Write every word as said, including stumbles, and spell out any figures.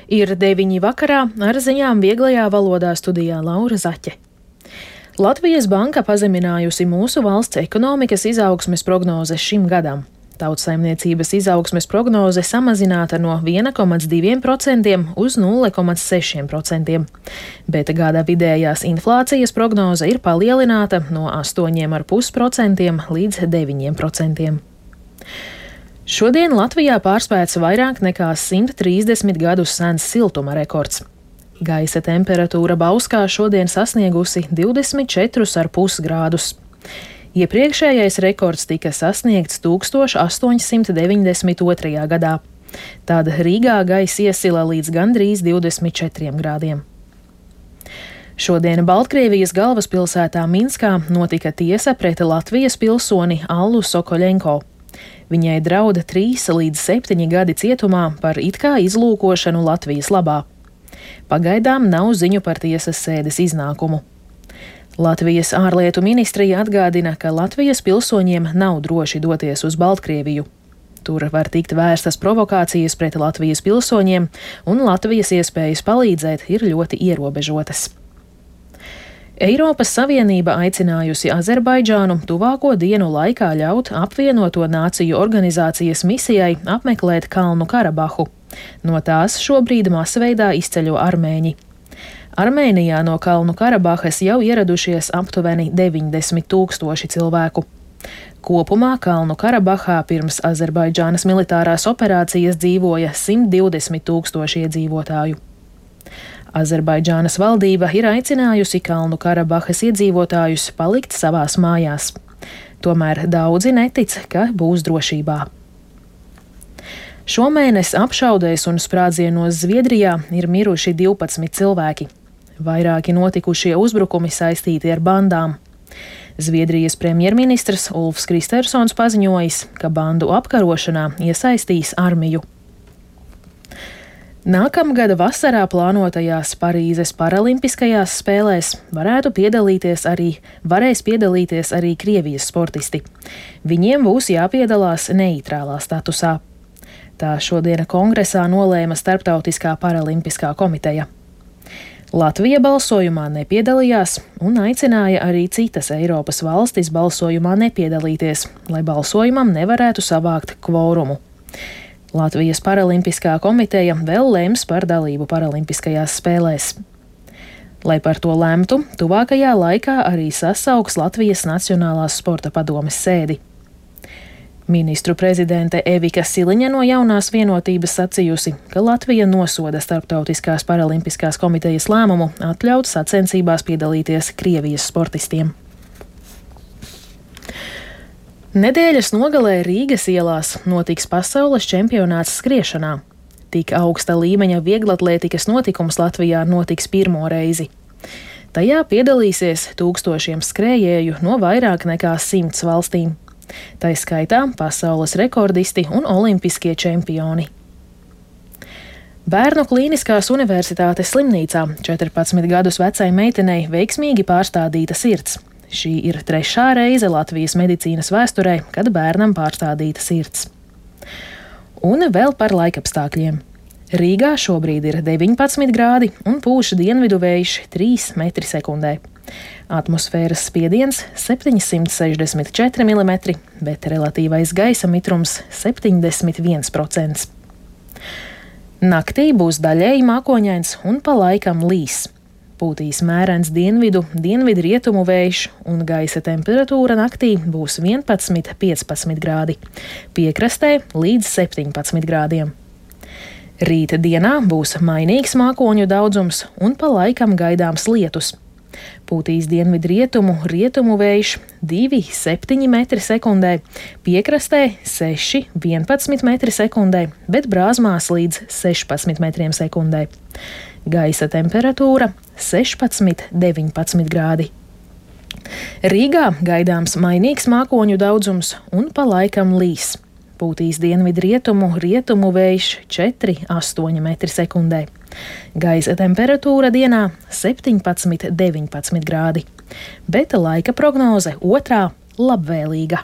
Ir deviņi vakarā, ar ziņām vieglajā valodā studijā Laura Zaķe. Latvijas banka pazeminājusi mūsu valsts ekonomikas izaugsmes prognozes šim gadam. Tautsaimniecības izaugsmes prognoze samazināta no viena komats divi procenti uz nulle komats seši procenti, bet gada vidējās inflācijas prognoze ir palielināta no astoņi komats pieci procenti līdz deviņi procenti. Šodien Latvijā pārspēts vairāk nekā simt trīsdesmit gadus sens siltuma rekords. Gaisa temperatūra Bauskā šodien sasniegusi divdesmit četrus ar pus grādus. Iepriekšējais rekords tika sasniegts tūkstoš astoņsimt deviņdesmit otrajā gadā. Tad Rīgā gaisa iesila līdz gandrīz divdesmit četriem grādiem. Šodien Baltkrievijas galvaspilsētā Minskā notika tiesa pret Latvijas pilsoni Allu Sokoļenko. Viņai drauda trīs līdz septiņi gadi cietumā par it kā izlūkošanu Latvijas labā. Pagaidām nav ziņu par tiesas sēdes iznākumu. Latvijas ārlietu ministrija atgādina, ka Latvijas pilsoņiem nav droši doties uz Baltkrieviju. Tur var tikt vērstas provokācijas pret Latvijas pilsoņiem, un Latvijas iespējas palīdzēt ir ļoti ierobežotas. Eiropas Savienība aicinājusi Azerbaidžānu tuvāko dienu laikā ļaut apvienoto nāciju organizācijas misijai apmeklēt Kalnu Karabahu. No tās šobrīd masveidā izceļo armēņi. Armēnijā no Kalnu Karabahas jau ieradušies aptuveni deviņdesmit tūkstoši cilvēku. Kopumā Kalnu Karabahā pirms Azerbaidžānas militārās operācijas dzīvoja simt divdesmit tūkstoši iedzīvotāju. Azerbaidžānas valdība ir aicinājusi Kalnu Karabahas iedzīvotājus palikt savās mājās. Tomēr daudzi netic, ka būs drošībā. Šomēnes apšaudēs un sprādzienos Zviedrijā ir miruši divpadsmit cilvēki. Vairāki notikušie uzbrukumi saistīti ar bandām. Zviedrijas premjerministrs Ulfs Kristersons paziņojis, ka bandu apkarošanā iesaistīs armiju. Nākamgada vasarā plānotajās Parīzes paralimpiskajās spēlēs varētu piedalīties arī, varēs piedalīties arī Krievijas sportisti. Viņiem būs jāpiedalās neitrālā statusā. Tā šodien kongresā nolēma Starptautiskā paralimpiskā komiteja. Latvija balsojumā nepiedalījās un aicināja arī citas Eiropas valstis balsojumā nepiedalīties, lai balsojumam nevarētu savākt kvorumu. Latvijas paralimpiskā komiteja vēl lems par dalību paralimpiskajās spēlēs. Lai par to lemtu, tuvākajā laikā arī sasauks Latvijas Nacionālās sporta padomes sēdi. Ministru prezidente Evika Siliņa no Jaunās vienotības sacījusi, ka Latvija nosoda Starptautiskās paralimpiskās komitejas lēmumu atļaut sacensībās piedalīties Krievijas sportistiem. Nedēļas nogalē Rīgas ielās notiks pasaules čempionāts skriešanā. Tik augsta līmeņa vieglatlētikas notikums Latvijā notiks pirmo reizi. Tajā piedalīsies tūkstošiem skrējēju no vairāk nekā simts valstīm. Tai skaitā pasaules rekordisti un olimpiskie čempioni. Bērnu Klīniskās universitātes slimnīcā četrpadsmit gadus vecai meitenei veiksmīgi pārstādīta sirds. Šī ir trešā reize Latvijas medicīnas vēsturē, kad bērnam pārstādīta sirds. Un vēl par laikapstākļiem. Rīgā šobrīd ir deviņpadsmit grādi un pūš dienvidu vējš trīs metri sekundē. Atmosfēras spiediens septiņsimt sešdesmit četri milimetri, bet relatīvais gaisa mitrums septiņdesmit viens procents. Naktī būs daļēji mākoņains un pa laikam līs. Pūtīs mērens dienvidu, dienvidu rietumu vējš un gaisa temperatūra naktī būs vienpadsmit līdz piecpadsmit grādi, piekrastē līdz septiņpadsmit grādiem. Rīta dienā būs mainīgs mākoņu daudzums un pa laikam gaidāms lietus. Pūtīs dienvidu rietumu, rietumu vējš divi līdz septiņi metri sekundē, piekrastē seši līdz vienpadsmit metri sekundē, bet brāzmās līdz sešpadsmit metriem sekundē. Gaisa temperatūra sešpadsmit līdz deviņpadsmit grādi. Rīgā gaidāms mainīgs mākoņu daudzums un pa laikam līs. Pūtīs dienvidu rietumu, rietumu vējš četri līdz astoņi metri sekundē. Gaisa temperatūra dienā septiņpadsmit līdz deviņpadsmit grādi, bet laika prognoze otrā labvēlīga.